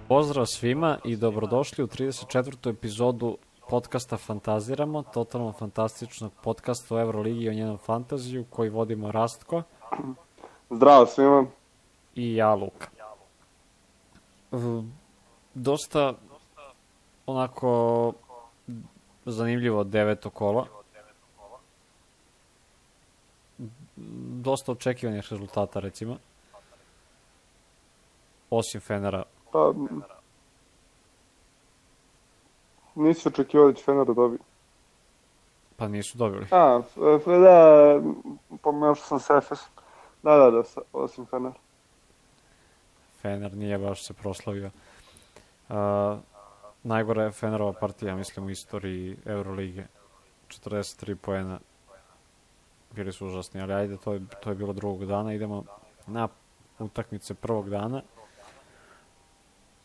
Pozdrav svima i dobrodošli u 34. epizodu podcasta Fantaziramo, totalno fantastičnog podcasta o Euroligi i o njenom fantaziju koji vodimo Rastko. Zdravo svima. I ja, Luka. Dosta onako zanimljivo deveto kolo. Dosta očekivanih rezultata, recimo. Osim Fenera. Pa, nisi očekivao da će Fener da dobije. Pa nisu dobili. Da, pomešao sam s Efesom. Da, osim Fener. Fener nije baš se proslavio. Najgora je Fenerova partija, mislim, u istoriji Eurolige. 43 poena. Bili su užasni, ali ajde, to je bilo drugog dana. Idemo na utakmice prvog dana.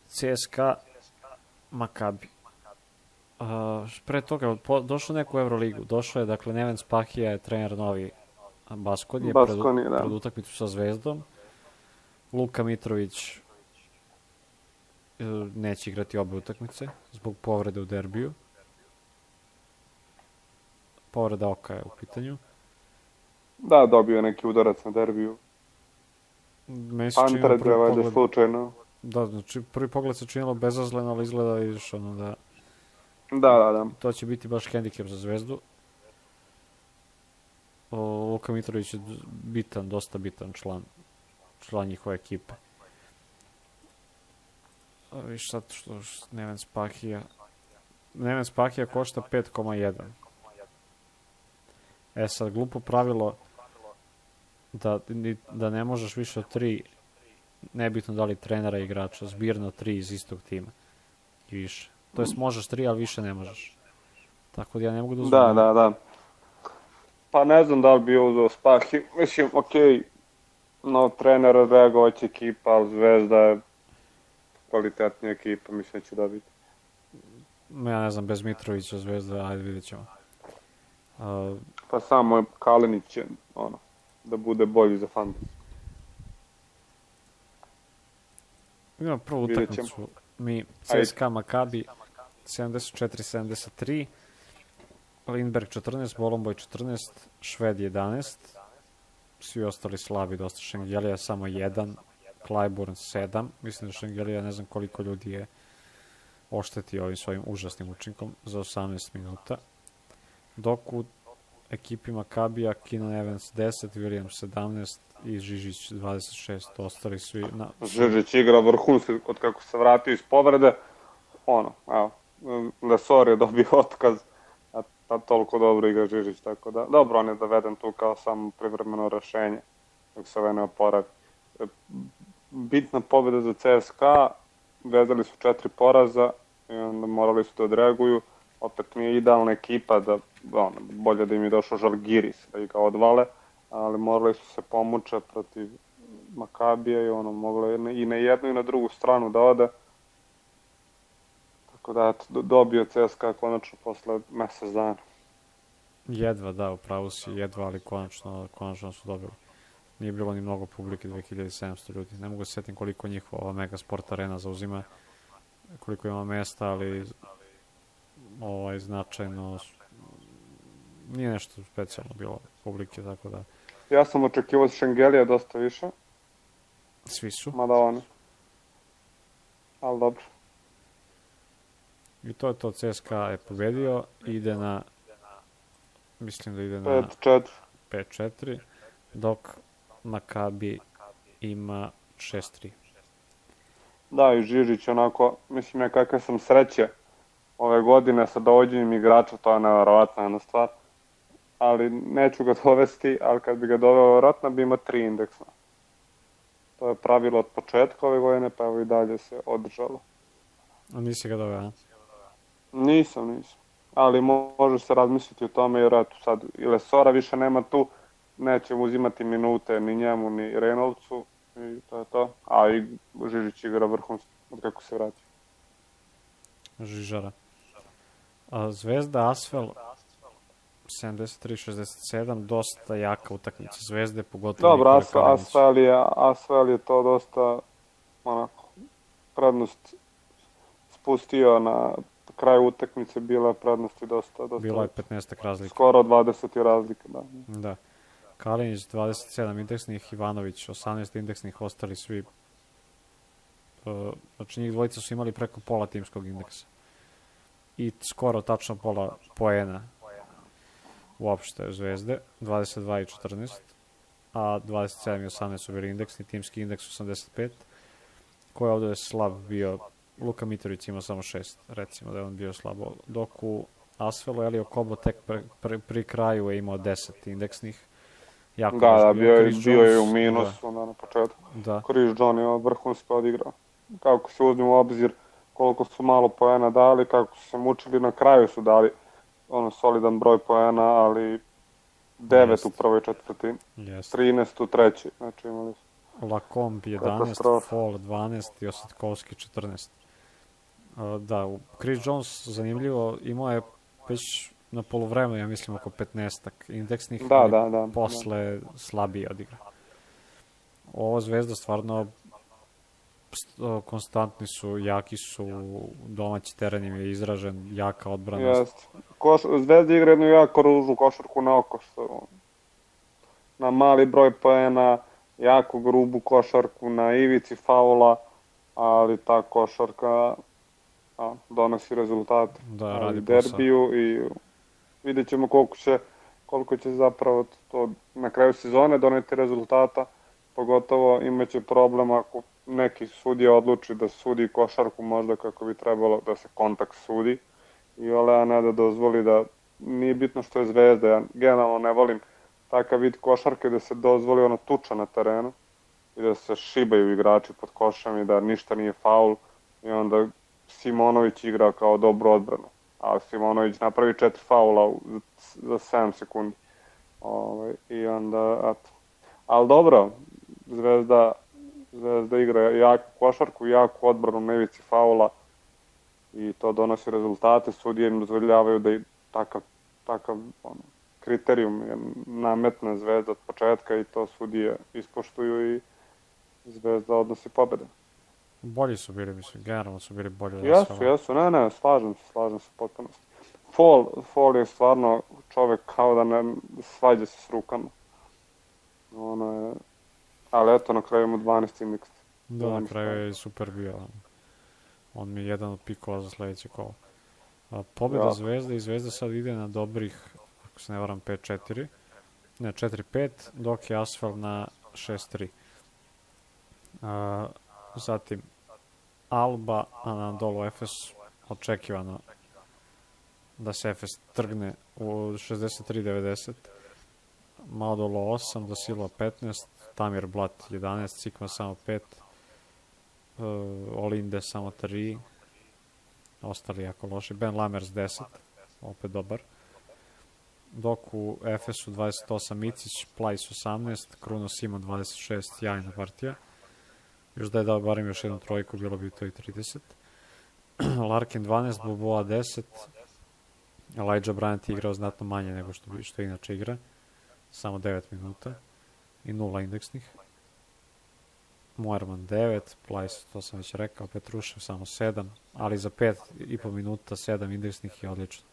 CSKA Makabi. Pre toga došao neko u Euroligu. Došao je, dakle, Neven Spahija je trener novi Baskonije pred utakmicu sa Zvezdom. Luka Mitrović neće igrati obe utakmice zbog povrede u derbiju. Povreda oka je u pitanju. Da, dobio je neki udarac na derbiju. Pantared je valjda slučajno. Da, znači prvi pogled se činilo bezazleno, ali izgleda vidiš ono da... Da. To će biti baš hendikep za Zvezdu. Luka Mitrović je dosta bitan član njihove ekipe. Viš sad što Neven Spahija košta 5,1. Sad, glupo pravilo da ne možeš više od 3, nebitno da li trenera i igrača, zbirno 3 iz istog tima i više. To jest možeš 3, ali više ne možeš. Tako da ja ne mogu da uzmem. Da. Pa ne znam da li bi uzeo Spahi. Mislim, okej, no trener reagovać ekipa, ali Zvezda je kvalitetnija ekipa, mislim da će dobiti. Ja ne znam, bez Mitrovića Zvezda, ajde vidjet ćemo. Pa samo Kalinić će, da bude bolji za fantasy. Idemo prvu utakmicu. Mi CSKA Makabi 74-73, Lindberg 14, Bolomboy 14, Šved 11, svi ostali slabi, dosta Šengelija, samo 1, Clyburn 7, mislim da Šengelija ne znam koliko ljudi je oštetio ovim svojim užasnim učinkom za 18 minuta. Dok u ekipi Makabija Keenan Evans 10, Williams 17 i Žižić 26, ostali svi... Žižić igra vrhunski od kako se vratio iz povrede, Lesor je dobio otkaz, a toliko dobro igra Žižić, tako da, dobro, on je doveden tu kao samo privremeno rešenje, dok se ovaj ne oporavi. Bitna pobjeda za CSKA, vezali su 4 poraza i onda morali su da odreaguju, opet nije idealna ekipa, bolje da im je došao Žalgiris da ih ga odvale, ali morali su se pomuče protiv Makabija i moglo je i na jednu i na drugu stranu da ode. Tako da, dobio CSKA konačno posle mesec dana. Jedva, da, upravo si, jedva, ali konačno su dobili. Nije bilo ni mnogo publike, 2700 ljudi. Ne mogu se sjetim koliko njihova Mega Sport Arena zauzima, koliko ima mesta, ali značajno nije nešto specijalno bilo publike, tako da... Ja sam očekivao od Šengelija dosta više. Svi su. Mada oni. Ali dobro. I to je to, CSKA je pobedio, mislim da ide na 5-4, dok Makabi ima 6-3. Da, i Žižić onako, mislim kakve sam sreće ove godine sa dovođenjem igrača, to je nevjerovatna jedna stvar. Ali neću ga dovesti, ali kad bi ga doveo vjerojatno bi imao 3 indeksa. To je pravilo od početka ove godine, pa evo i dalje se održalo. A nisi ga doveo, a? Nisam. Ali može se razmisliti o tome, jer eto sad i Lesora više nema tu, neće uzimati minute ni njemu ni Reynoldsu i to je to. A i Žižić igra vrhunski od kako se vrati. Žižara. Zvezda Asvel 73-67, dosta jaka utakmica Zvezde, pogotovo... Dobro, Asvel je to dosta prednost spustio na kraju utakmice, bila je prednosti dosta. Bilo je 15 razlike. Skoro 20 razlike, da. Da. Kalinić 27 indeksnih, Ivanović 18 indeksnih, ostali svi, znači njih dvojica su imali preko pola timskog indeksa. I skoro tačno pola poena uopšte Zvezde, 22 i 14, a 27 i 18 su bili indeksni, timski indeks 85, koji ovdje je slab bio. Luka Mitrović imao samo 6, recimo da je on bio slabo, dok u Asvelu Elio Kobo tek pri kraju je imao 10 indeksnih. Jako da, bio je u minusu na početku. Da. Chris John je vrhunski odigrao. Kako se uzme u obzir koliko su malo poena dali, kako su se mučili, na kraju su dali solidan broj poena, ali 9 u prvoj četvrtini, 13 u trećoj, znači imali su. Lacombe 11, Fall 12 i Ositkovski 14. Da, Chris Jones, zanimljivo, imao je već na poluvremenu, ja mislim, oko 15-ak indeksnih, posle slabije odigra. Ovo Zvezda stvarno konstantni su, jaki su, domaći teren im je izražen, jaka odbrana. Zvezda igra jednu jako ružnu košarku na oko, na mali broj poena, jako grubu košarku, na ivici faula, ali ta košarka donosi rezultate. Da, radi derbiju i vidjet ćemo koliko će zapravo to na kraju sezone doneti rezultata, pogotovo imaće problem ako neki sudija odluči da sudi košarku možda kako bi trebalo da se kontakt sudi, a ne da dozvoli da, nije bitno što je Zvezda, ja generalno ne volim takav vid košarke da se dozvoli tuča na terenu i da se šibaju igrači pod košem i da ništa nije faul i onda Simonović igra kao dobru odbranu, a Simonović napravi 4 faula za 7 sekundi. I onda, ali dobro, Zvezda igra jaku košarku, jaku odbranu na ivici faula i to donosi rezultate. Sudije im dozvoljavaju da i takav kriterijum nametne Zvezda od početka i to sudije ispoštuju i Zvezda odnosi pobjede. Bolji su bili, mislim, generalno su bili bolji. Jesu, ne, slažem se potpuno. Fall je stvarno čovek kao da ne svađa se s rukama. Ali eto, na kraju mu 12 indeks. Da, na kraju je super bio. On mi je jedan od pikova za sljedeće kolo. Pobjeda Zvezde i Zvezda sad ide na dobrih, ako se ne varam, 5-4. Ne, 4-5, dok je Asfel na 6-3. Zatim, Alba, Anadolu Efes, očekivano da se Efes trgne u 63-90. Madolo 8, Dosilo 15, Tamir Blat 11, Sikma samo 5, Olinde samo 3, ostali jako loši. Ben Lamers 10, opet dobar. Dok u Efesu 28 Micić, Plajs 18, Kruno Simon 26, jajna partija. Još da je dao barem još jednu trojku, bilo bi to i 30. Larkin 12, Boboa 10, Elijah Bryant je igrao znatno manje nego što inače igra. Samo 9 minuta i 0 indeksnih. Moerman 9, Plajs, to sam već rekao, Petrušev samo 7, ali za 5,5 minuta 7 indeksnih je odlično.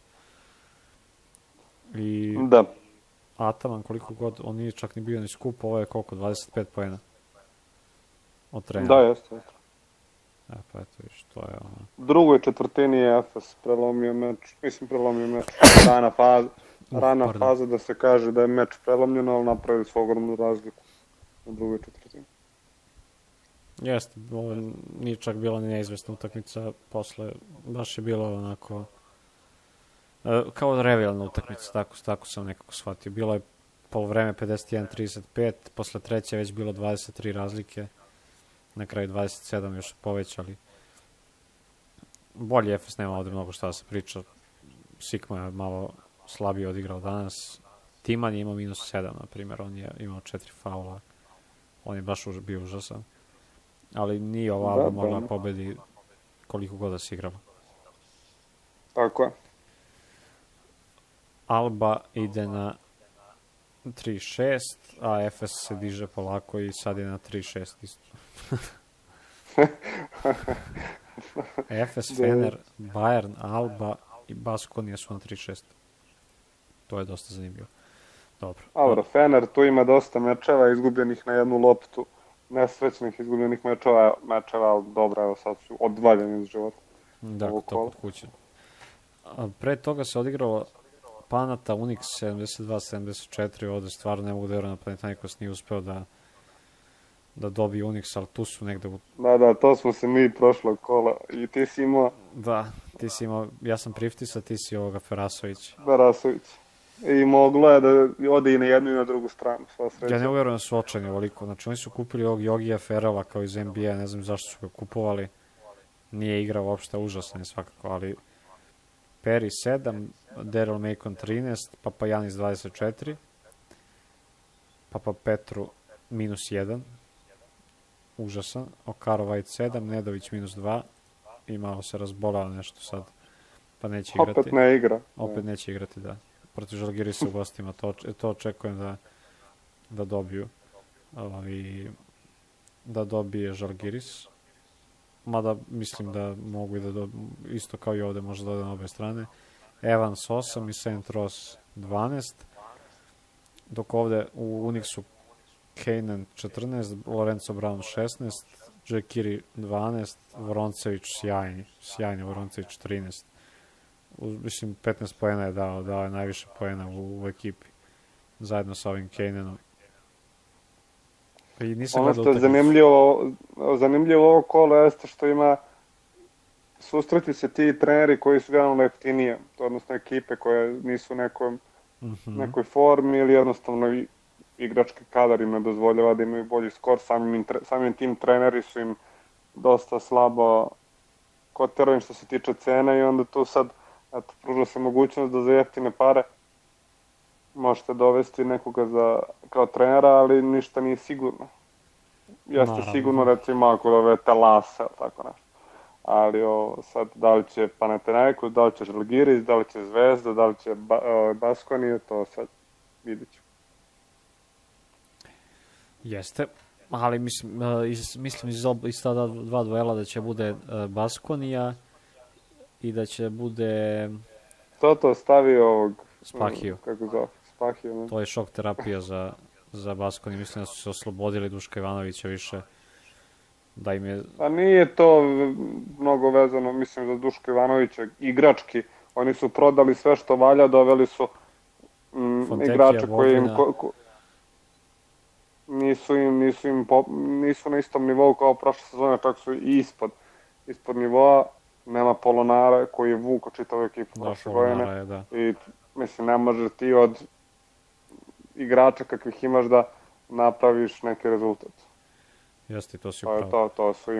I da. Ataman, koliko god, on nije čak ni bio ni skup, ovo je koliko, 25 poena od trenera. Da, jeste. Pa eto viš, to je ono. U drugoj četvrtini je Efes prelomio meč, rana faza da se kaže da je meč prelomljen, ali napravili su ogromnu razliku u drugoj četvrtini. Jeste, ovo nije čak bila neizvesna utakmica, posle baš je bilo onako kao revijalna utakmica, tako sam nekako shvatio. Bilo je polovreme 51-35, posle treće već bilo 23 razlike, na kraju 27 još su povećali. Bolji Efes, nema ovdje mnogo šta da se priča. Sikma je malo slabije odigrao danas. Timan je imao -7, na primjer, on je imao 4 faula. On je baš bio užasan. Ali nije ova Alba mogla pobedi koliko god da se igrala. Tako je. Alba ide na 3-6, a Efes se diže polako i sad je na 3-6 isto. Efes, Fener, Bayern, Alba i Baskonija su na 36. To je dosta zanimljivo. Dobro. Dobro, Fener tu ima dosta mečeva izgubljenih na jednu loptu, nesrećnih izgubljenih mečeva, ali dobro, evo sad su odvaljeni iz života. Da, to kod kuće. Pre toga se odigralo Panata, Unix 72-74, ovde stvarno ne mogu da vjerujem da Panathinaikos nije uspeo da dobije Unix, ali tu su negde u... Da, to smo se mi prošlog kola i ti si imao... Da, ti si imao, ja sam Priftisa, ti si ovoga Ferasović. I moglo je da ode i na jednu i na drugu stranu, sva sreća. Ja ne uvjerujem da su očajni ovoliko, znači oni su kupili ovog Jogija Ferrella kao iz NBA, ne znam zašto su ga kupovali, nije igrao uopšte, užasan je svakako, ali Perry 7, Daryl Macon 13, Papajanis 24, Papa Petru minus 1, užasan, Okaro White 7, Nedović minus 2, i malo se razbolao nešto sad, pa neće igrati. Opet ne igra. Opet neće igrati, da. Protiv Žalgirisa u gostima, to očekujem da dobiju. Da dobije Žalgiris. Mada mislim da mogu i da isto kao i ovde, možda da na obe strane. Evans 8 i Saint Ross 12. Dok ovde u Unixu Kanan 14, Lorenzo Brown 16, Džekiri 12, Voroncević sjajni Voroncević 13. Mislim, 15 poena je dao je najviše poena u ekipi, zajedno sa ovim Kananom. Ono što je zanimljivo ovo kolo jeste što ima susreti se ti treneri koji su generalno jeftinije, odnosno ekipe koje nisu nekoj formi ili jednostavno igrački kadar im ne dozvoljava da imaju bolji skor, samim tim treneri su im dosta slabo kotirani što se tiče cene i onda tu sad pruža se mogućnost da za jeftine pare možete dovesti nekoga kao trenera, ali ništa nije sigurno. Jeste sigurno, recimo, ako dovete Lasa, tako nešto. Ali sad, da li će Panathinaikos, da li će Žalgiris, da li će Zvezda, da li će Baskonija, to sad vidit ću. Jeste, ali mislim iz ta dva duela da će bude Baskonija i da će bude... To stavio ovog... Spahiju. Kako zove? Spahiju, ne? To je šok terapija za Baskoniju. Mislim da su se oslobodili Duška Ivanovića više. Da im je... A nije to mnogo vezano, mislim, za Duška Ivanovića. Igrački. Oni su prodali sve što valja, doveli su igrače koji im... Nisu na istom nivou kao prošle sezone, čak su i ispod nivoa. Nema Polonara koji je vuko čitavu ekipu prošle godine. I mislim, ne može ti od igrača kakvih imaš da napraviš neki rezultat. Jeste, to si upravo. To su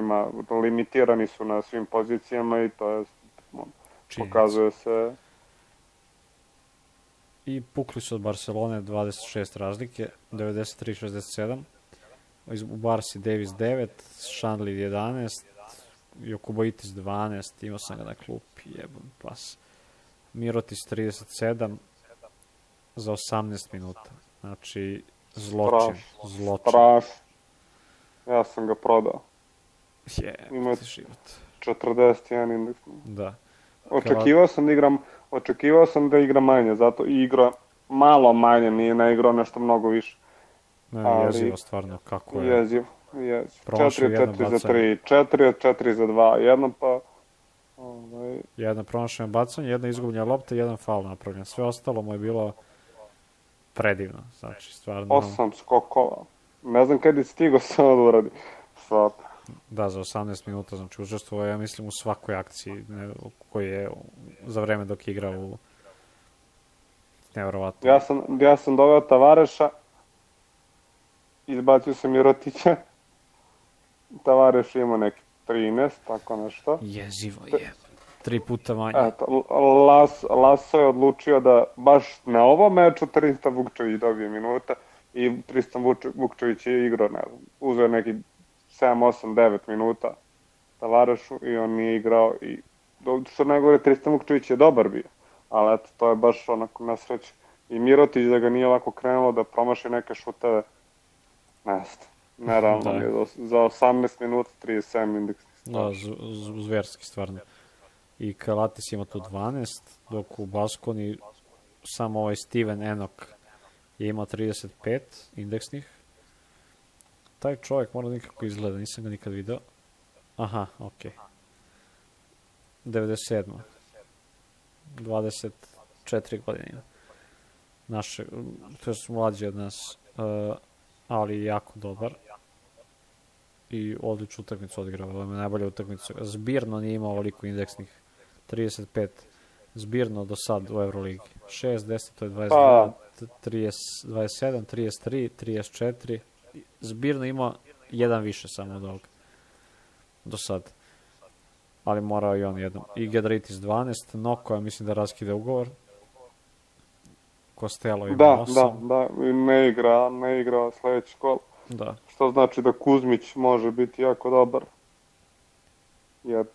limitirani su na svim pozicijama i to je, pokazuje se. I pukli su od Barcelone 26 razlike, 93-67. U Barsi Davis 9, Šanli 11, Jokuboitis 12, imao sam ga na klupi, jebam pas. Mirotis 37 za 18 minuta. Znači, zločin. Strašno. Ja sam ga prodao. Ima život. 41 indeks. Da. Očekivao sam da igra manje, zato i igra malo manje, ne igrao nešto mnogo više. Jezivo stvarno, kako je. Jezivo. 4-4 za 3, 4-4 za 2, jedno pa... Jedna promašena bacanje, jedna izgubljena lopta i jedan faul napravljen. Sve ostalo mu je bilo predivno, znači stvarno... 8 skokova. Ne znam kada je stigao samo da uradi. Da, za 18 minuta, znači učestvovao ja mislim u svakoj akciji koji je za vreme dok je igrao u... Nevjerovatno. Ja sam doveo Tavareša, izbacio sam Mirotića. Tavareš ima neki 13, tako nešto. Jezivo je. 3 puta manje. Eto, Laso je odlučio da baš na ovom meču Tristan Vukčević dobije minuta i Tristan Vukčević je igrao, ne znam, uzeo neki 7, 8, 9 minuta Tavarešu i on nije igrao i što najgore Tristan Vukčević je dobar bio, ali eto, to je baš onako na sreću. I Mirotić da ga nije ovako krenulo da promaši neke šuteve, nerealno je za 18 minuta 37 indeks. Da, zverski stvarno. I Kalates ima tu 12, dok u Baskoni samo ovaj Steven Enoch je imao 35 indeksnih. Taj čovjek mora nikako izgleda, nisam ga nikad video. Aha, okej. 97. 24 godine ima. Naše, to je mlađi od nas, ali jako dobar. I odličnu utakmicu odigrao, ovo je najbolja utakmica. Zbirno nije imao ovoliko indeksnih. 35. Zbirno do sad u Euroligi. 6, 10, to je 22, 27, 33, 34. Zbirno ima jedan više samo od ovoga. Do sad. Ali morao i on jednom. I Gedritis 12, Noko, ja mislim da raskide ugovor. Costello ima 8. Da, ne igra sledeći kol. Da. Što znači da Kuzmić može biti jako dobar. Jer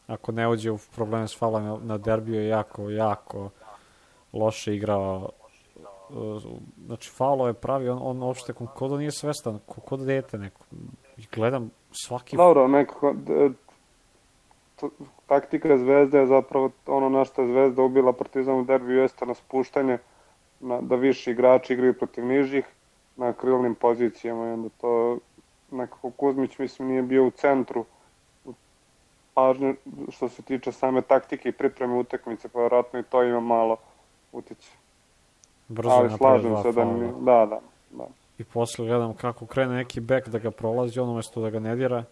ako ne uđe u probleme s faulom na derbiju je jako loše igrao. Znači, faulo je pravi, on uopšte ko da nije svestan, ko da dete neko. I gledam svaki... Dobro, nekako, taktika Zvezde je zapravo ono na što je Zvezda ubila Partizan u derbiju jeste na spuštanje, da više igrači igraju protiv nižih na krilnim pozicijama i onda to nekako Kuzmić mislim nije bio u centru pažnje što se tiče same taktike i pripreme utakmice, pa vjerojatno i to ima malo utiče. Ali slažem se da mi... Da. I posle gledam kako krene neki bek da ga prolazi, on umesto da ga ne dira.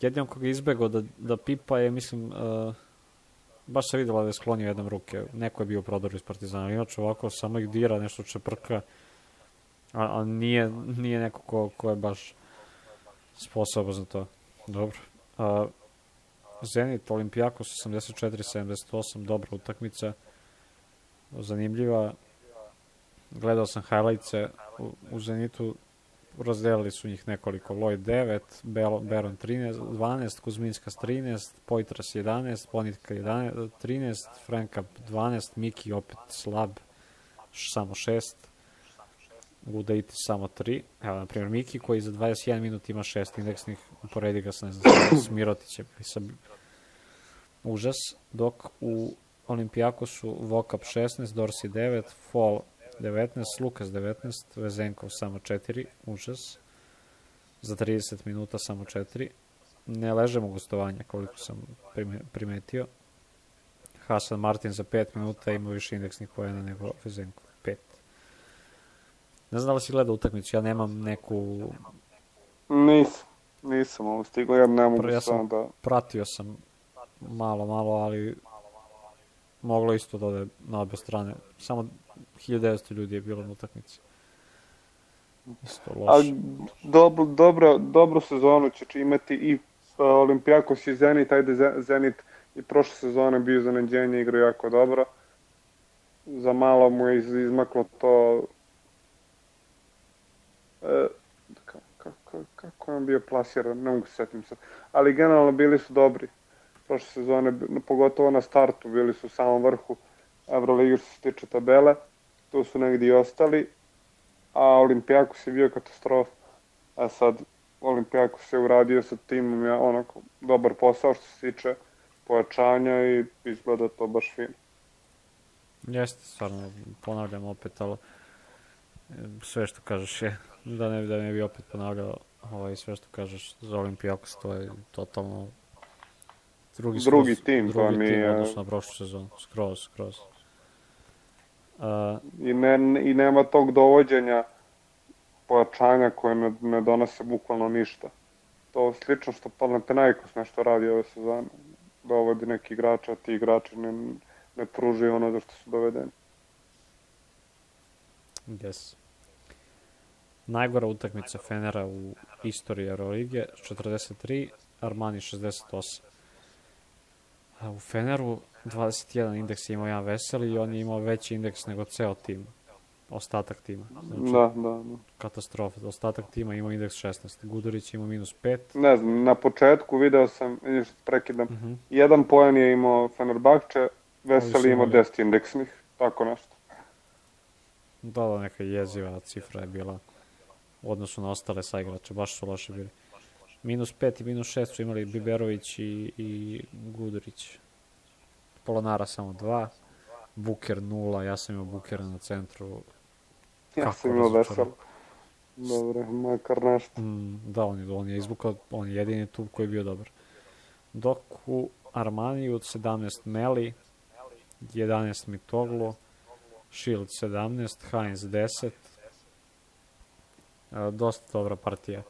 Jedino koga je izbegao da pipa je, mislim, baš se vidjela da je sklonio jednom ruke. Neko je bio u prodoru iz Partizana, inače ovako samo ih dira, nešto čeprka, a nije neko ko je baš sposoban za to. Dobro. Zenit, Olimpijakos 84-78, dobra utakmica, zanimljiva. Gledao sam highlights-e u Zenitu, razdelili su njih nekoliko. Lloyd 9, Baron 12, Kuzminskas 13, Poitras 11, Ponitka 13, Franka 12, Miki opet slab, samo 6, Gudaitis samo 3. Evo, na primjer, Miki koji za 21 minut ima 6 indeksnih, uporedi ga sa, ne znam, s Mirotićem. Užas, dok u Olimpijakosu Vokap 16, Dorsi 9, Fall 19, Lukas 19, Vezenkov samo 4, užas. Za 30 minuta samo 4. Ne ležemo gostovanja koliko sam primetio. Hasan Martin za 5 minuta ima više indeksnih poena nego Vezenkov, 5. Ne znam da li si gledao utakmicu, ja nemam neku... Nisam ovo stigao, ja ne mogu samo da... Pratio sam malo, ali moglo isto da ode na obe strane. Samo 1900 ljudi je bilo na utakmici. Isto loše. Dobru sezonu će imati i Olimpijakos i Zenit, ajde Zenit i prošle sezone bio iznenađenje, igra jako dobro. Za malo mu je izmaklo to... Kako je on bio plasiran, ne mogu se setim sad. Ali generalno bili su dobri. Prošle sezone, pogotovo na startu, bili su u samom vrhu Euroligi što se tiče tabele. Tu su negdje i ostali. A Olimpijakos je bio katastrofa. A sad Olimpijakos je uradio sa timom onako dobar posao što se tiče pojačanja i izgleda to baš fino. Jeste, stvarno, ponavljam opet, ali sve što kažeš je, da ne bi opet ponavljao, sve što kažeš za Olimpijakos, to je totalno drugi tim, odnosno na prošlu sezonu, skroz. I nema tog dovođenja pojačanja koje ne donose bukvalno ništa. To slično što Panathinaikos nešto radi ove sezone. Dovodi neki igrača, a ti igrači ne pružaju ono za što su dovedeni. Yes. Najgora utakmica Fenera u istoriji Eurolige, 43, Armani 68. A u Feneru 21 indeks je imao jedan Veseli i on je imao veći indeks nego ceo tim. Ostatak tima. Znači, da. Katastrofa. Ostatak tima imao indeks 16. Gudurić imao -5. Ne znam, na početku video sam, prekidam, jedan poen je imao Fenerbahče, Veseli imao 10 indeksnih, tako nešto. Da, neka jeziva cifra je bila u odnosu na ostale saigrače, baš su loše bili. -5 i -6 su imali Biberović i Gudurić. Polonara samo 2. Buker 0, ja sam imao Bukera na centru. Ja sam imao Vesel. Dobre, makar nešto. Da, on je izvukao, on je jedini tu koji je bio dobar. Dok u Armaniju od 17 Meli, 11 Mitoglu, Shield 17, Heinz 10. Dosta dobra partija.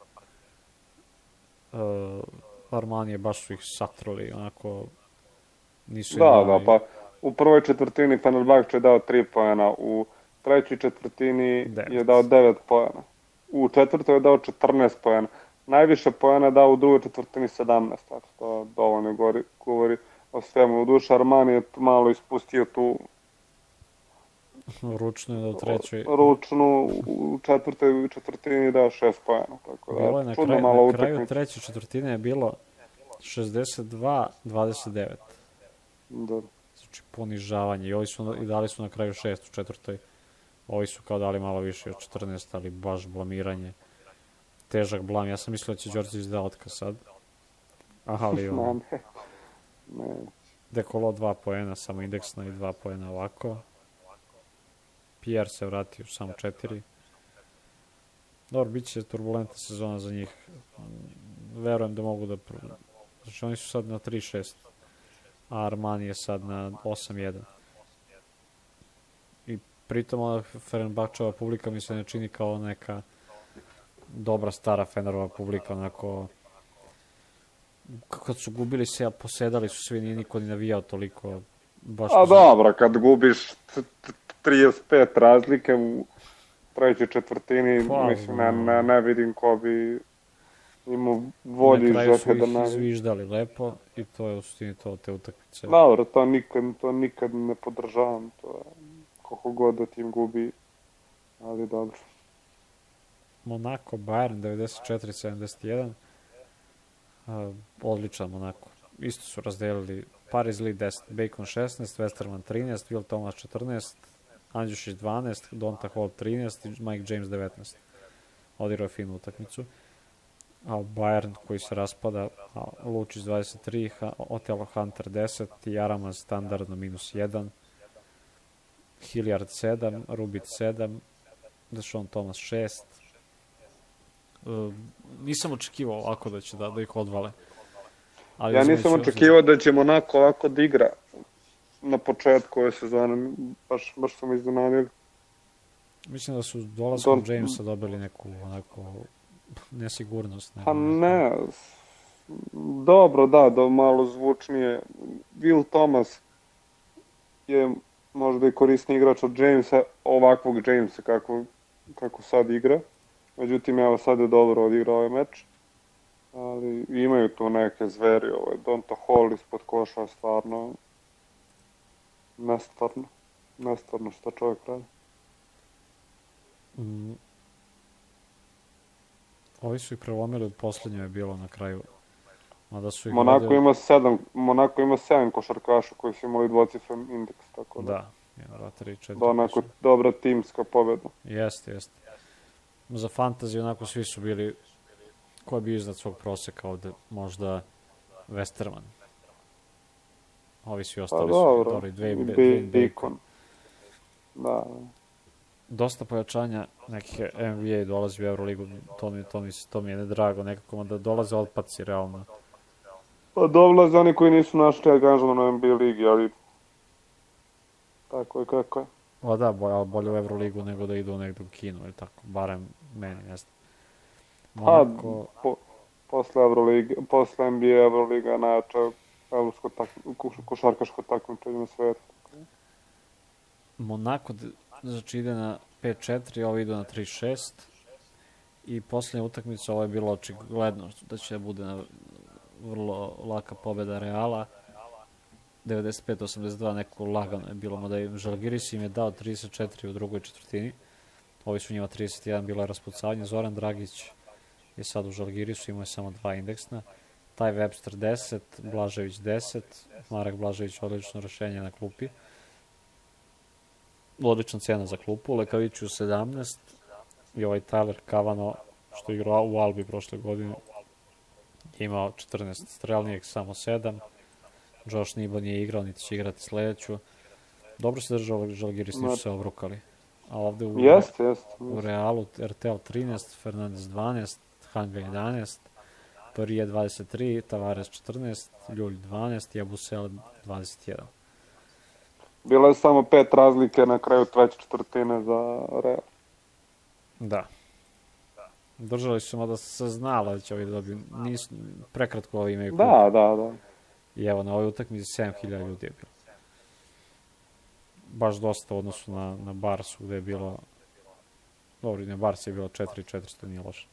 Armanije baš su ih satrali, onako nisu Da, pa u prvoj četvrtini Fenerbahče je dao 3 poena, u trećoj četvrtini 9. je dao 9 poena, u četvrtoj je dao 14 poena, najviše poena je dao u drugoj četvrtini 17, tako to dovoljno govori o svemu. U duše Armani je malo ispustio tu ručnu je do trećoj. Ručnu u četvrtoj četvrtini dao 6 poena, tako da je čudno malo utakmice. Na kraju treće četvrtine je bilo 62-29. Da. Znači ponižavanje. I dali su na kraju 6 u četvrtoj. Ovi su kao dali malo više od 14, ali baš blamiranje. Težak blam. Ja sam mislio da će Đorđević da otkaz sad. Ali on... ne. Dekolo 2 poena, samo indeksno i 2 poena ovako. Pierre se vratio samo 4. Dobro, bit će turbulentna sezona za njih. Verujem da mogu da... Znači oni su sad na 3-6. A Armani je sad na 8-1. I pritom Fenerbahčeva publika mi se ne čini kao neka dobra stara Fenerova publika, onako kad su gubili se, posedali su svi, nije niko ni navijao toliko. A dobro, kad gubiš 35 razlike u trećoj četvrtini, mislim, ne vidim ko bi imao volju i želje da na kraju su ih izviždali lepo i to je u suštini to, te utakmice. Dobro, to nikad ne podržavam, to je koliko god da tim gubi, ali dobro. Monaco, Bayern 94-71, odličan Monaco. Isto su razdelili Paris Lee 10, Bacon 16, Westerman 13, Will Thomas 14, Andjušić 12, Donta Hall 13 i Mike James 19. Odigrao je finu utakmicu. A Bayern koji se raspada, Lučić 23, Otelo Hunter 10, Jaramaz standardno -1, Hilliard 7, Rubit 7, Deshaun Thomas 6. Nisam očekivao ovako da će da ih odvale. Ali ja nisam očekivao da će Monaco ovako da igra na početku ove sezone, baš sam iznenadio. Mislim da su dolaskom Jamesa dobili neku onako nesigurnost. Pa ne, dobro, da malo zvučnije. Will Thomas je možda i korisni igrač od Jamesa, ovakvog Jamesa kako sad igra. Međutim, evo sad je dobro odigrao ovaj meč. Ali imaju tu neke zveri, Donta Hall ispod koša, stvarno nestvarno što čovjek radi. Ovi su ih prelomili, od posljednje je bilo na kraju. Monako ima 7 košarkaša koji su imali dvocifren indeks, tako da. Da, 1, 2, 3, 4. Da, onako dobra timska pobjeda. Jeste. Za fantasy onako svi su bili, ko je bio iznad svog proseka ovde, možda Westerman. Ovi svi ostali su dobri, Dwayne Bacon. Da. Dosta pojačanja nekih NBA dolazi u Euroligu, to mi je nedrago, nekako da dolaze otpaci realno. Pa dolaze oni koji nisu našli angažman na NBA ligi, ali tako je kako je. Pa da, bolje u Euroligu nego da idu negdje u Kinu, ili tako, barem meni, ne znam. Monaco... Posle NBA Euroliga najjača košarkaško takmičenje na svijetu. Monako znači ide na 5-4, ovo idu na 3-6 i posljednja utakmica, ovo je bilo očigledno da će bude vrlo laka pobjeda Reala. 95-82, neko lagano je bilo, mada i Žalgiris im je dao 34 u drugoj četvrtini. Ovi su njima 31, bilo je raspucavanje. Zoran Dragić je sad u Žalgirisu, imao je samo 2 indeksna. Taj Webster 10, Blažević 10, Marek Blažević odlično rešenje na klupi. Odlična cena za klupu, Lekaviću 17 i ovaj Tyler Kavano što je igrao u Albi prošle godine. imao 14 strelnijeg, samo 7. Josh Nibo nije igrao, niti će igrati sledeću. Dobro se držao Žalgiris, nisu se obrukali. A ovde u Realu RTL 13, Fernandez 12, Hanga 11, Parije 23, Tavares 14, Ljulj 12 i Abusel 21. Bilo je samo 5 razlike na kraju treće četvrtine za Real. Da. Držali su mada se znalo da će ovi dobiti. Prekratko ovi imaju kup. Da. I evo, na ovoj utakmici 7000 ljudi je bilo. Baš dosta u odnosu na Barsu, gde je bilo... Dobro, na Barsu je bilo 4400, nije loše.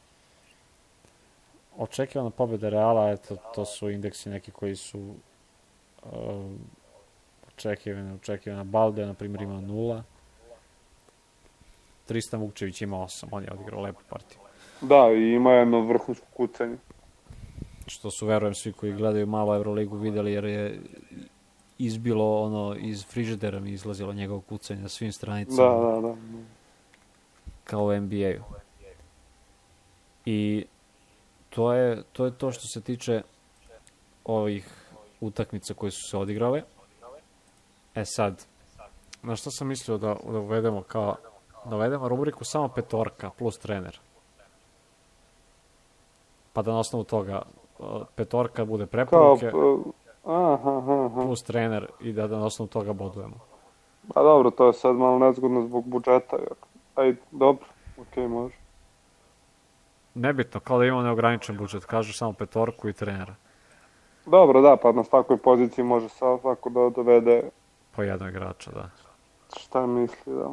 Očekivana pobjeda Reala, eto, to su indeksi neki koji su očekivana. Balde, na primjer, ima 0. Tristan Vukčević ima 8, on je odigrao lepu partiju. Da, i ima jedno vrhunsko kucanje. Što su, verujem, svi koji gledaju malo Euroligu videli, jer je izbilo ono, iz frižidera mi izlazilo njegovo kucanje na svim stranicama. Da. Kao u NBA-u. I to je to što se tiče ovih utakmica koje su se odigrale. E sad, na što sam mislio da uvedemo da uvedemo rubriku samo petorka plus trener. Pa da na osnovu toga petorka bude preporuke plus trener i da na osnovu toga bodujemo. Pa dobro, to je sad malo nezgodno zbog budžeta. Ajde, dobro, okej, može. Nebitno, kao da imamo neograničen budžet, kažu samo petorku i trenera. Dobro, da, pa na svakoj poziciji može svako da dovede... Po jednog igrača, da. Šta misli, da.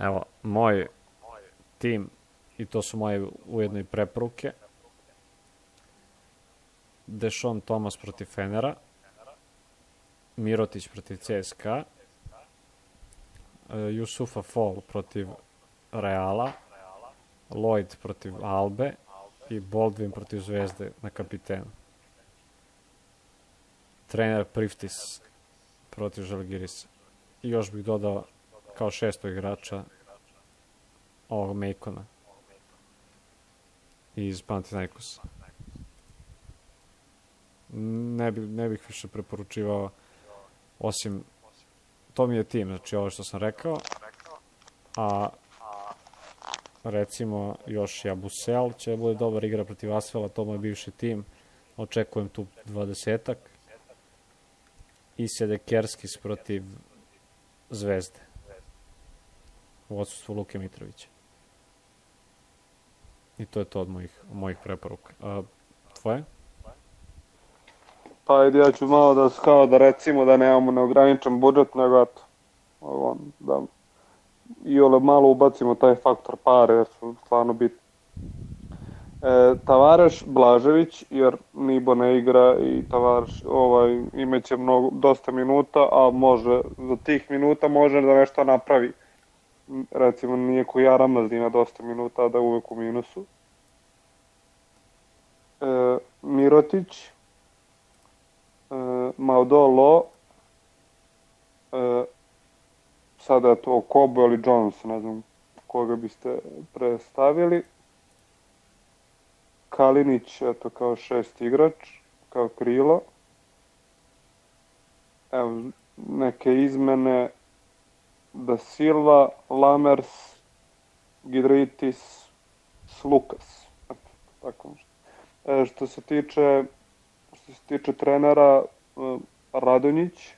Evo, moj tim, i to su moje ujedno i preporuke. Dešon Thomas protiv Fenera, Mirotić protiv CSKA, Jusufa Fall protiv Reala, Lloyd protiv Albe i Baldwin protiv Zvezde na kapitenu. Trener Priftis protiv Žalgirisa. I još bih dodao kao 6. igrača ovog Mejkona iz Panathinaikosa. Ne bih više preporučivao, osim, to mi je tim, znači ovo što sam rekao, a recimo još i Abusel će bude dobar igra protiv Asvela, to mu je bivši tim, očekujem tu 20-ak, i Sedekerskis protiv Zvezde u odsustvu Luke Mitrovića. I to je to od mojih preporuka. Tvoje? Pa ajde, ja ću malo da recimo da nemamo neograničen budžet, nego eto, da i ole malo ubacimo taj faktor pare, jer su stvarno bitni. Tavares Blažević, jer Nibo ne igra i Tavares imaće dosta minuta, a može, za tih minuta može da nešto napravi. Recimo, nije ko Jaramaz ima dosta minuta, a da je uvek u minusu. Mirotić, Maudolo, sada je to Kobo ili Jones, ne znam koga biste predstavili. Kalinić, eto, kao 6. igrač, kao krilo. Evo, neke izmene: Da Silva, Lamers, Gidritis, Slukas. Eto, tako nešto. Što se tiče trenera, Radonjić.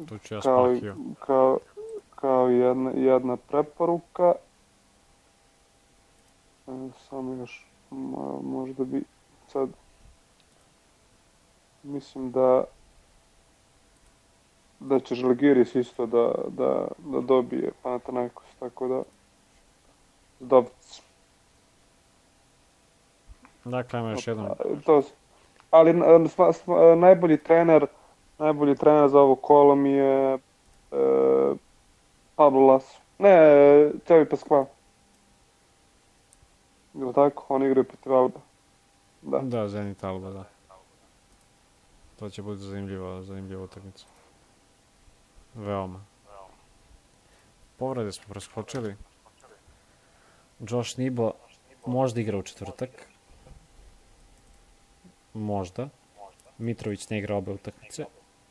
Tu ću ja spakio. Kao jedna preporuka. Samo još, možda bi sad, mislim da će Žalgiris isto da dobije Panathinaikos, tako da Zdovc. Dakle, ima još jednom. Ali najbolji trener za ovo kolo mi je Pablo Laso. Ne, Tevi Paskva. Ili tako? On igra protiv Alba. Da, Zenit Alba, da. To će biti zanimljiva utakmica. Veoma. Povrede smo preskočili. Josh Nibo možda igra u četvrtak. Možda. Mitrović ne igra obe utakmice.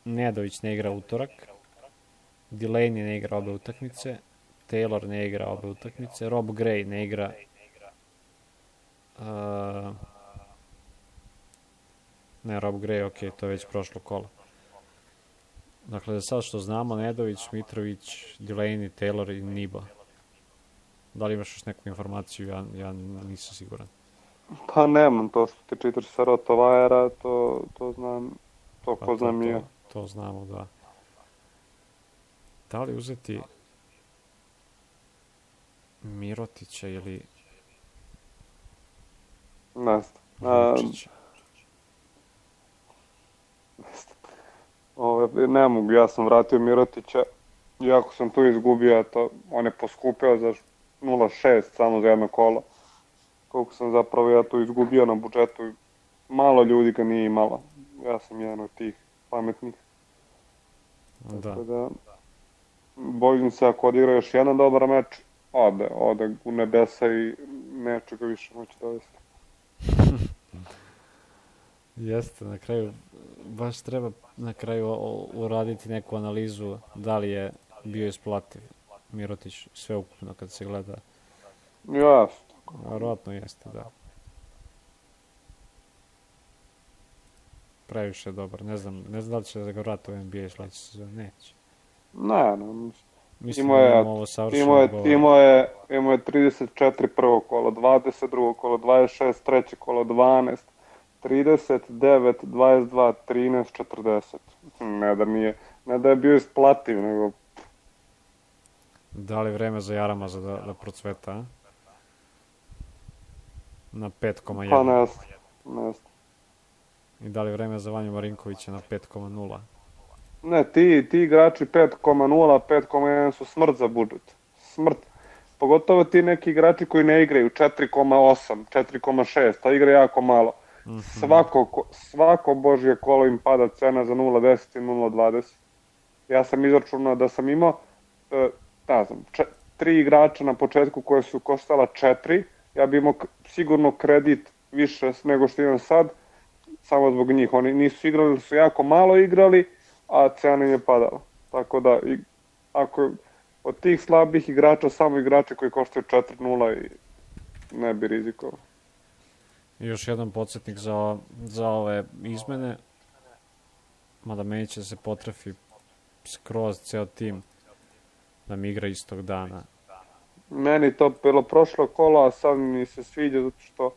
Nedović ne igra utorak. Delaney ne igra obe utakmice. Taylor ne igra obe utakmice. Rob Gray ne igra ne, Rob Gray, ok, to je već prošlo kola. Dakle, za sad što znamo, Nedović, Mitrović, Delaney, Taylor i Niba. Da li imaš još neku informaciju? Ja nisam siguran. Pa nemam, to što ti čitaš sa Rotovajera, to znam, to ko znam i ja. To znamo, da. Da li uzeti Mirotića ili Ne Vučića? Ne mogu, ja sam vratio Mirotića, iako sam tu izgubio, on je poskupio za 0,6 samo za jedno kolo. Koliko sam zapravo ja tu izgubio na budžetu, malo ljudi ga nije imalo. Ja sam jedan od tih pametnih. Da. Bojim se ako odigra još jedan dobar meč, ode u nebesa i neće ga više moći dovesti. Jeste, na kraju, baš treba na kraju uraditi neku analizu da li je bio isplativ Mirotić sveukupno kad se gleda. Jasno. Vjerojatno jeste, da. Previše je dobar, ne znam da li će da ga vrati u NBA sledeće sezone, neće. Ne, mislim da imamo ovo savršeno govor. Imao je 34 prvo kolo, 22 kolo, 26 treće kolo, 12, 39, 22, 13, 40. Ne da je bio isplativ, nego... Da li vreme za Jaramaza da procveta, a? Na 5,1. Pa ne. I da li vreme za Vanju Marinkovića na 5,0? Ne, ti igrači 5,0, 5,1 su smrt za budžet. Smrt. Pogotovo ti neki igrači koji ne igraju 4,8, 4,6, a igra jako malo. Svako božje kolo im pada cena za 0,10 i 0,20. Ja sam izračunao da sam imao, ne znam, 3 igrača na početku koje su koštala 4, ja bi imao sigurno kredit više nego što imam sad, samo zbog njih. Oni nisu igrali, su jako malo igrali, a cena im je padala. Tako da, ako od tih slabih igrača, samo igrači koji koštaju 4,0 i ne bi rizikovao. I još jedan podsjetnik za ove izmene, mada meni će se potrefi skroz ceo tim da mi igra istog dana. Meni to bilo prošlo kolo, a sad mi se sviđa zato što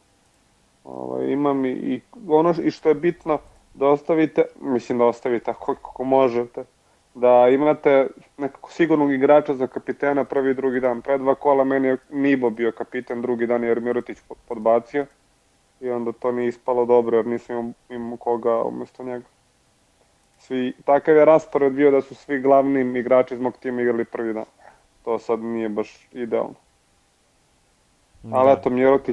imam i ono i što je bitno da ostavite, mislim da ostavite ako možete, da imate nekako sigurnog igrača za kapitena prvi i drugi dan. Pre 2 kola meni je Nibo bio kapiten drugi dan jer Mirotić podbacio i onda to nije ispalo dobro jer nisam imao koga umjesto njega. Takav je raspored bio da su svi glavni igrači iz mog tima igrali prvi dan. To sad nije baš idealno. Ali eto,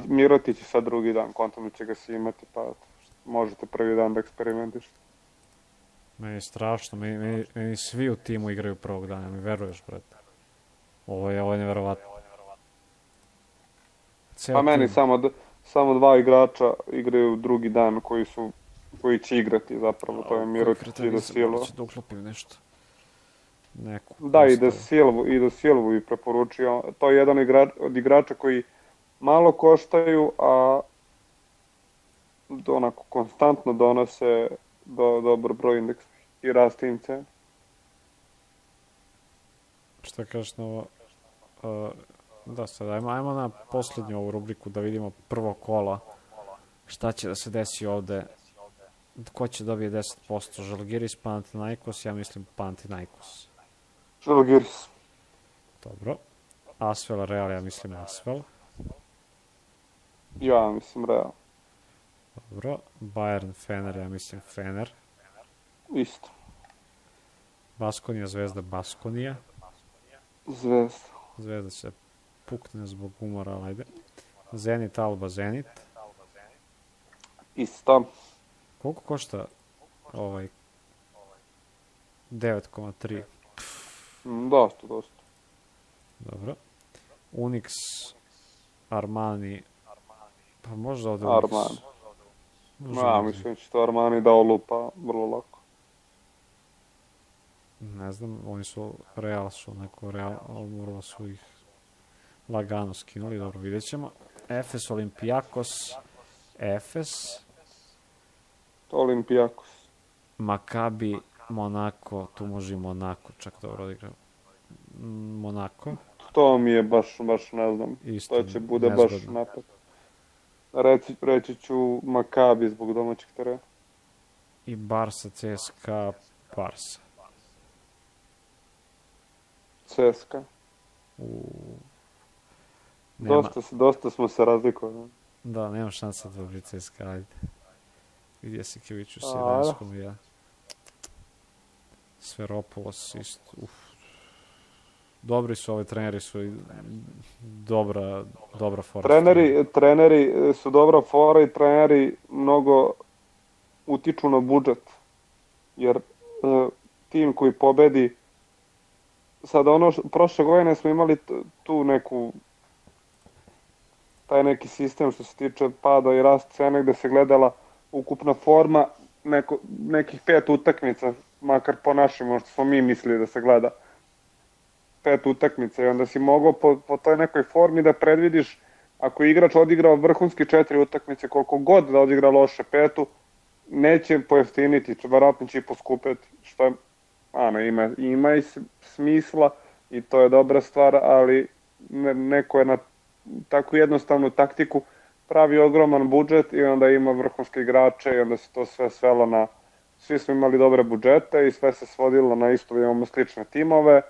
Mirotić je sad drugi dan, kontam će ga si imati, pa možete prvi dan da eksperimentišete. Meni je strašno, meni svi u timu igraju prvog dana, mi veruješ, brate. Ovo je neverovatno. Pa meni samo 2 igrača igraju drugi dan koji će igrati zapravo, to je Mirotić i Da Silva. Da uklopim nešto. Da, i Da Silvu i preporučio. To je jedan od igrača koji malo koštaju, a onako konstantno donose dobar broj indeksa i rast im cena. Šta kažeš na ovo? Da, sad ajmo na posljednju ovu rubriku da vidimo prvo kola. Šta će da se desi ovde? Ko će dobije 10%? Žalgiris, Panathinaikos, ja mislim Panathinaikos. Žalgiris. Dobro. Asvel, Real, ja mislim Asvel. Ja mislim Real. Dobro. Bayern, Fener, ja mislim Fener. Isto. Baskonija, Zvezda, Baskonija. Zvezda. Zvezda će pukne zbog umora, ajde. Zenit, Alba, Zenit. Isto. Koliko košta 9,3? Dosta. Dobro. Unix, Armani, Pa možda ode u Armani. Mislim će to Armani da olupa vrlo lako. Ne znam, oni su Real moralo su ih lagano skinuli, dobro, vidjet ćemo. Efes, Olympiakos, Efes. Olympiakos. Maccabi, Monako, tu može i Monako, čak dobro odigrao. Monako. To mi je baš ne znam, Isto, to će bude baš napad. Reći ću Maccabi zbog domaćeg terena. I Barsa, CSKA, Barsa. CSKA. Dosta smo se razlikovali. Da, nema šansa da dobri CSKA, ajde. Gdje si Keviću 17 ja. Sferopoulos isto, Dobri su ovi treneri, su i dobra fora. Treneri su dobra fora i treneri mnogo utiču na budžet. Jer tim koji pobedi, sad prošle godine smo imali tu taj neki sistem što se tiče pada i rast cene gde se gledala ukupna forma nekih 5 utakmica, makar po našim, možda smo mi mislili da se gleda 5 utakmica i onda si mogao po toj nekoj formi da predvidiš ako je igrač odigrao vrhunski 4 utakmice, koliko god da odigra loše 5, neće pojeftiniti, verovatno će i poskupeti, što je, ima i smisla i to je dobra stvar, ali neko je na takvu jednostavnu taktiku pravi ogroman budžet i onda ima vrhunske igrače i onda se to sve svelo na, svi smo imali dobre budžete i sve se svodilo na isto da imamo slične timove.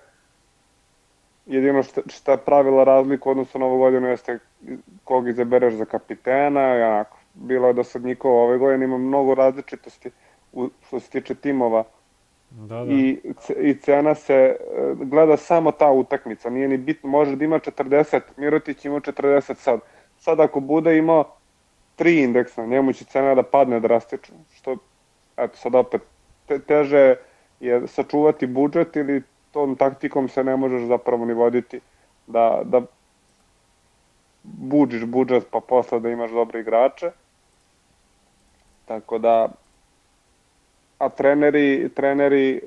Jedino što je pravila razliku odnosno na ovu godinu jeste kog izabereš za kapitena i onako. Bilo je dosadnikova ove godine, ima mnogo različitosti što se tiče timova. Da. I cena se gleda samo ta utakmica, nije ni bitno, može da ima 40, Mirotić ima 40 sad. Sad ako bude imao 3 indeksa, njemu će cena da padne drastično, što, eto sad opet, teže je sačuvati budžet ili tom taktikom se ne možeš zapravo ni voditi da buđiš budžet pa posle da imaš dobre igrače. Tako da, a treneri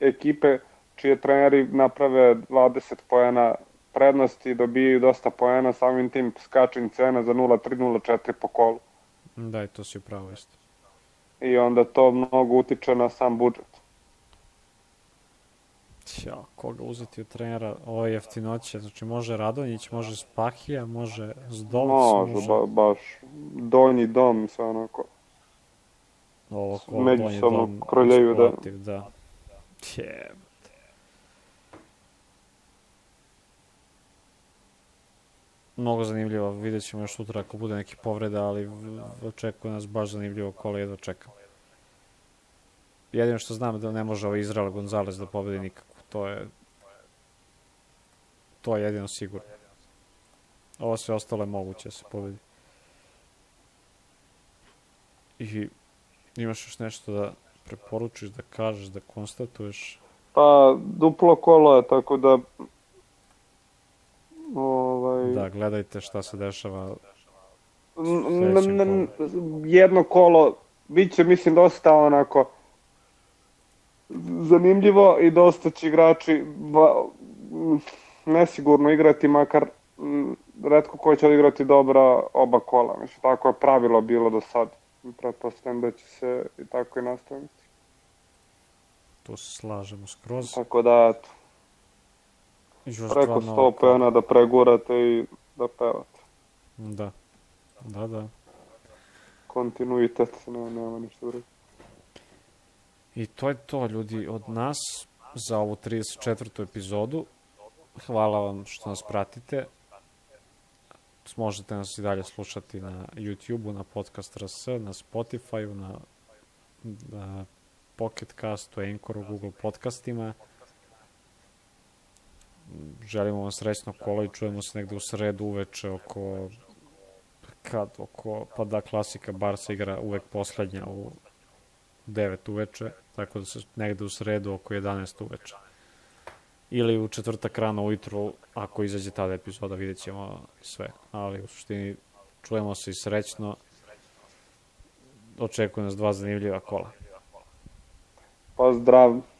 ekipe čije treneri naprave 20 poena prednosti, dobijaju dosta poena, samim tim skačem cena za 0,3, 0,4 po kolu. Da, i to si upravo isto. I onda to mnogo utiče na sam budžet. Koga uzeti od trenera? Ovo je jeftinoće, znači može Radonjić, može Spahija, može Zdolc, može... baš donji dom, sve onako. Ovo međusobno kroljeju, da. Mnogo zanimljivo, vidjet ćemo još sutra ako bude neki povreda, ali očekuje nas baš zanimljivo kolo, jedva čekam. Jedino što znam da ne može Izrael Gonzalez da pobedi nikako, to je jedino sigurno. Ovo sve ostalo je moguće da se pobedi. I imaš još nešto da preporučiš, da kažeš, da konstatuješ? Pa, duplo kolo je, tako da... Da, gledajte šta se dešava. Jedno kolo, bit će, mislim, dosta onako zanimljivo i dosta će igrači nesigurno igrati, makar retko ko će odigrati dobra oba kola. Mislim, tako je pravilo bilo do sad. Pretpostavljam da će se i tako i nastaviti. To se slažemo skroz. Tako da, eto. Preko 100 pena da pregurate i da pevate. Da. Kontinuitet, nema ništa drugo. I to je to, ljudi, od nas za ovu 34. epizodu. Hvala vam što nas pratite. Možete nas i dalje slušati na YouTube-u, na Podcast RS, na Spotify-u, na Pocket Castu, Anchoru, Google podcastima. Želimo vam srećno kolo i čujemo se negde u sredu uveče pa da klasika Barsa igra uvek poslednja u 9 uveče, tako da se negde u sredu oko 11 uveče. Ili u četvrtak rano ujutru, ako izađe tada epizoda, vidjet ćemo sve. Ali u suštini čujemo se i srećno. Očekuju nas 2 zanimljiva kola. Pozdrav!